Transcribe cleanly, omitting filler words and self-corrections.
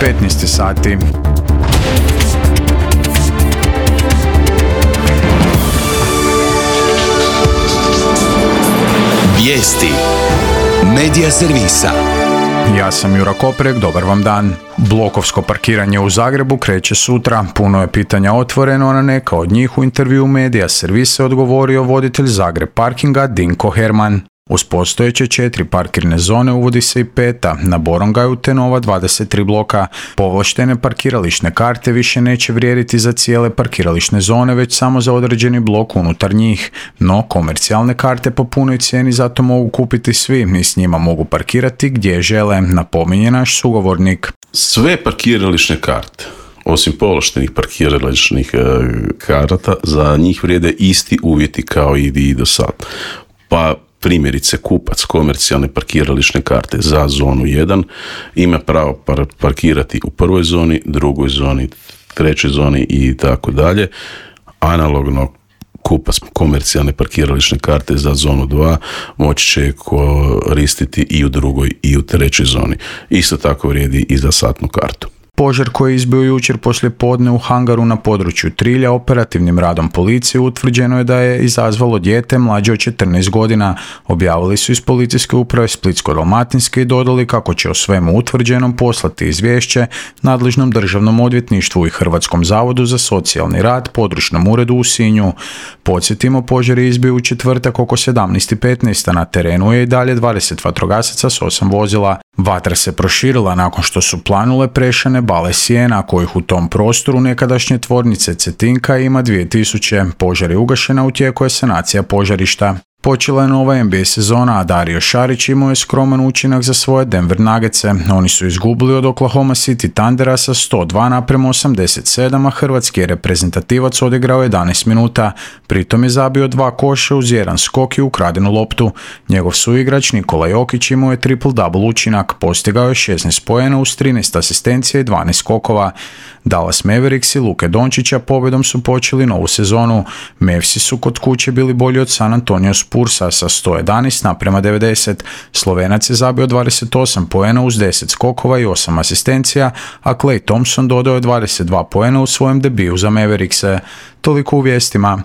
15 sati. Vijesti Medija servisa. Ja sam Jura Koprek, dobar vam dan. Blokovsko parkiranje u Zagrebu kreće sutra. Puno je pitanja otvoreno, a na neka od njih u intervju Medija servisa odgovorio voditelj Zagreb parkinga Dinko Herman. Uz postojeće 4 parkirne zone uvodi se i 5. na Borongaju te nova 23 bloka. Povlaštene parkirališne karte više neće vrijediti za cijele parkirališne zone, već samo za određeni blok unutar njih. No, komercijalne karte po punoj cijeni zato mogu kupiti svi i s njima mogu parkirati gdje žele, napominje naš sugovornik. Sve parkirališne karte, osim povlaštenih parkirališnih karata, za njih vrijede isti uvjeti kao i do sad. Pa primjerice, kupac komercijalne parkirališne karte za zonu 1 ima pravo parkirati u prvoj zoni, drugoj zoni, trećoj zoni i tako dalje. Analogno, kupac komercijalne parkirališne karte za zonu 2 moći će koristiti i u drugoj i u trećoj zoni. Isto tako vrijedi i za satnu kartu. Požar koji je izbio jučer poslije podne u hangaru na području Trilja operativnim radom policije utvrđeno je da je izazvalo dijete mlađe od 14 godina. Objavili su iz policijske uprave Splitsko-dalmatinske i dodali kako će o svemu utvrđenom poslati izvješće nadležnom državnom odvjetništvu i Hrvatskom zavodu za socijalni rad, područnom uredu u Sinju. Podsjetimo, požar je izbio u četvrtak oko 17:15, a na terenu je i dalje 20 vatrogasaca s 8 vozila. Vatra se proširila nakon što su planule prešane bale sjena, kojih u tom prostoru nekadašnje tvornice Cetinka ima 2000. Požar je ugašen, u tijeku je sanacija požarišta. Počela je nova NBA sezona, a Dario Šarić imao je skroman učinak za svoje Denver Nuggetse. Oni su izgubili od Oklahoma City Thundera sa 102:87, a hrvatski je reprezentativac odigrao 11 minuta. Pritom je zabio 2 koša uz 1 skok i ukradenu loptu. Njegov suigrač Nikola Jokić imao je triple-double učinak, postigao je 16 poena uz 13 asistencija i 12 skokova. Dallas Mavericks i Luke Dončića pobjedom su počeli novu sezonu. Mavsi su kod kuće bili bolji od San Antonio Spursa sa 111:90. Slovenac je zabio 28 poena uz 10 skokova i 8 asistencija, a Klay Thompson dodao je 22 poena u svojem debiju za Maverickse. Toliko u vijestima.